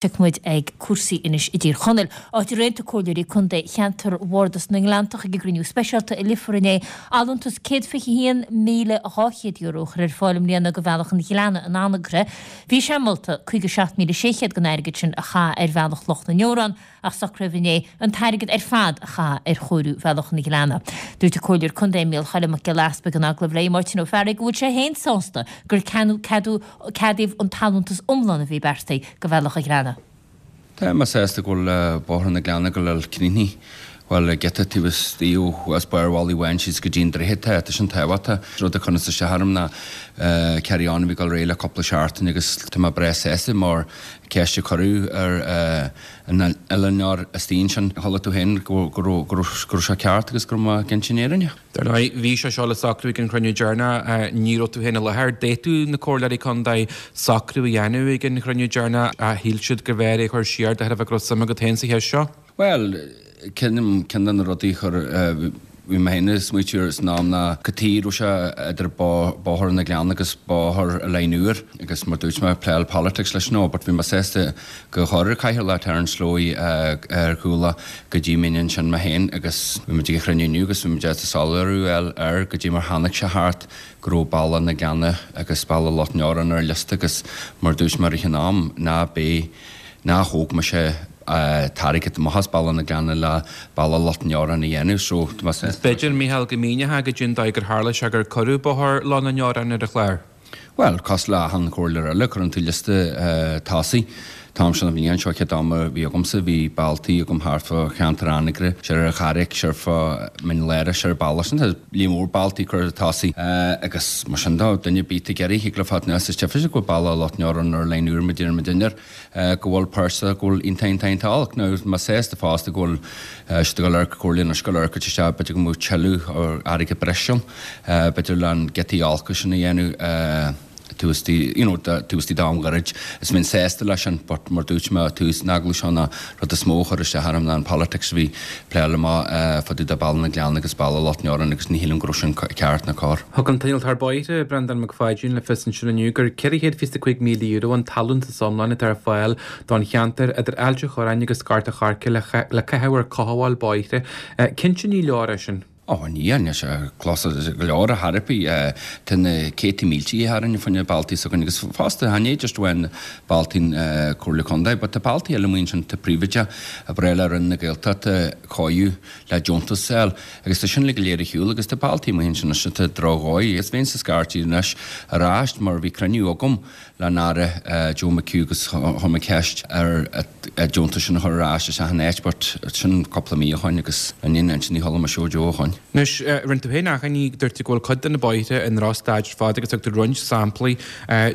Tiocfaidh muid ag cúrsaí anois i dTír Chonaill, áit ar aontaigh comhairleoirí contae cheantar Bhardas na nGleanntach ag a gcruinniú speisialta i Leifear inné, allúntas €121,200 a chur ar fáil i mbliana do Bhealach an Ghleanna in Anagaire. Bhí sé molta 57,600 den airgead sin a chaitheamh ar Bhealach Loch na nDeorán, ach socraíodh inné an t-airgead ar fad a chaitheamh ar chóiriú Bhealach an Ghleanna. Dúirt an Comhairleoir Contae Mícheál Choilm Mac Giolla Easpaig in agallamh le Máirtín Ó Fearraigh go bhfuil sé féin sásta gur ceadaíodh an t-allúntas iomlán a bhí beartaithe do Bhealach an Ghleanna. Tá mé sásta go bhfuil Bóthar na Gleanna ag dul críochnaithe, bhuel, giota taobh istigh ó as Barr Mhalaidh Bháin síos go dtí an droichead tá, tá sin tábhachtach. Rud a chuireanns isteach orm ná carry on a bhí ag dul ar aghaidh le cúpla seachtain agus tá mé breá sásta mar ceist a cuireadh ar an oileánóir istigh ansin, chuala tú féin go raibh sé ceart agus go raibh mé ag insint an fhírinne. Dar ndóigh, bhí sé seo le socrú ag an chruinniú deireanach, ní raibh tú féin i láthair. D'fhéadfadh na comhairleoirí contae socrú a dhéanamh ag an chruinniú deireanach ach shíl siad gurbh fhearr é a chur siar de thairbhe go raibh suim agat féin sa cheist seo. Bhuel, ceann de na rudaí a chuir, bhí mé féin ag smaoitiú air san am ná cad chuige a raibh sé idir Bóthar na Gleanna agus Bóthar Oileáin Úir agus mar dúirt mé, pléáil politics leis no, but bhí mé sásta go chuir an Cathaoirleach Terence Slowey ar chúla go dtí minn ansin mé féin agus bhí muid ag an chruinniú inniu agus bhí muid ábalta soiléiriú a fháil air go dtí mar tháinig sé thart go raibh Bealach na Gleanna agus Bealach Loch nDeorán ar an liosta agus mar dúirt mé i rith an am ná beidh ná thóg mise t-airgead amach as Bealach na Gleanna le Bealach Loch nDeorán a dhéanamh so tá mé sásta. B'fhéidir, Mícheál, go míneofá goidé an dóigh gur tharla sé gur cuireadh Bóthar Loch na nDeorán ar an chlár. Bhuel, cosúil le achan chomhairleoir eile, cuireann tú liosta tosaigh. An t-am seo na bhliain seo, chéad am a bhí agamsa, bhí bealtaí agam thart fá cheantar Anagaire, siar ar an Charraic, siar fá Mhín Lárach, siar ar bealach sin. Tá líon mór bealtaí curtha tosaigh agus mar sin de, duine ar bith ag iarraidh, thig leo fad anuas is deifir go bhfuil Bealach Loch nDeorán ar line úr, muid ar muid inár. go bhfuil pearsa go bhfuil iontach iontach iontach olc. Now tá mé sásta fosta go bhfuil siad ag dul ar Comhairle anois ag dul ar cuid isteach b'fhéidir go mbeadh tuilleadh airgead breise ann b'fhéidir le an giotaí olca sin a dhéanamh taobh istigh you know taobh istigh d'am ghairid. Is bheinn sásta leis sin but mar dúirt mé tús an agallaimh seo ná rud is mó a chuir isteach orm ná an politics a bhí pléáil amach fá dtaobh de Bealach na Gleanna agus Bealach Loch nDeorán agus ní shílim go raibh sin ceart ná cóir. Thug an t-innealtóir bóithre, Breandán Mac Pháidín, le fios ansin inniu gur €425,000 an t-allúntas iomlán atá ar fáil don cheantar idir Ailt an Chorráin agus Gort an Choirce le caitheamh ar chothabháil bóithre. Cinnte ní leor é sin. Ó, níl, níl sé clos go leor ar chor ar bith. Tá na céadta míltí tharainn fá choinne bealtaí s'againn agus fosta, chan é just amháin bealtaí an Comhairle Contae, but tá bealtaí eile amuigh ansin, tá príobháideach, a breá le Roinn na Gaeltachta cóiriú le deontas a fháil agus tá sin uilig go léir ar shiúl agus tá bealtaí amuigh ansin anois atá droch-dhóigh. Is bheinnse scairtí anois ar ais mar bhí cruinniú agam le an Aire Joe McHugh agus chuir mé ceist air an deontas sin a chur ar ais isteach in áit but sin cúpla mí ó shoin agus ní ansin ní chuala mise ó Joe ó shoin. Anois, rinne tú féin achainí, dúirt tú go bhfuil cuid de na bóithre i ndrochstaid ar fad agus thug tú roinnt samplaí.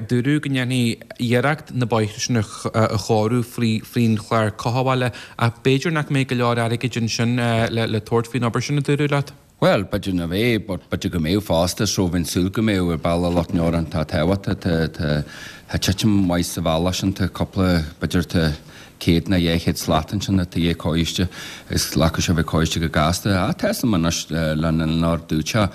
Dúradh go ndéanfaí iarracht na bóithre sin a chóiriú faoin chlár cothabhála ach b'fhéidir nach mbeidh go leor airgid ansin le tabhairt faoin obair sin, a dúradh leat. Bhuel, b'fhéidir nach mbeidh, but b'fhéidir go mbeadh fosta, so bheinn súil go mbeadh ar Bealach Loch nDeorán, tá tábhacht, tá, tá, tá titim mhaith sa bhealach sin, tá cúpla, b'fhéidir tá 100 nó 200 slat ansin atá i ndiaidh cóiste agus glacfaidh sé a bheith cóiste go gasta. Ach tá 'fhios a'm anois le an dúirt sé,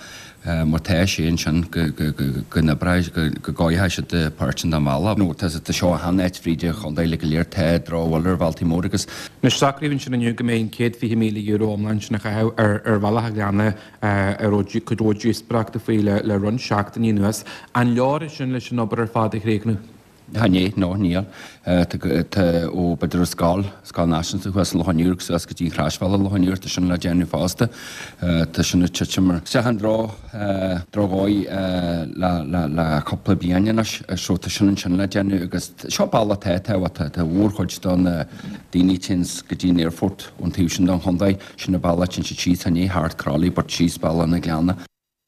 mar tá sé ansin go, go, go, go n-oibreoidh, go, go gcóireoidh siad páirt den bhealach. Nó tá, tá seo achan áit fríd an chontae uilig go léir, tá drochbhail ar bhealtaí móra agus. Anois, socraíodh ansin inniu go mbeidh an €120,000 iomlán sin a chaitheamh ar Bhealach an Ghleanna a raibh cuid mhór díospóireachta faoi le roinnt seachtainí anuas. An leor é sin leis an obair ar fad a chríochnú? Chan é, no, níl. Tá ó b'fhéidir an scoil, Scoil Náisiúnta thuas i Loch an Iúir agus suas go dtí an Chroisbhealach i Loch an Iúir, tá sin le déanamh fosta. Tá sin ag titim isteach i ndroch, drochdhóigh le, le, le cúpla bliain anois so tá sin ansin le déanamh agus seo bealach atá tábhachtach. Tá mhórchuid de na daoine a téanns go dtí an aerfort ón taobh sin den chontae, sin an bealach a téann siad síos, chan é thart Crolly but síos Bealach na Gleanna.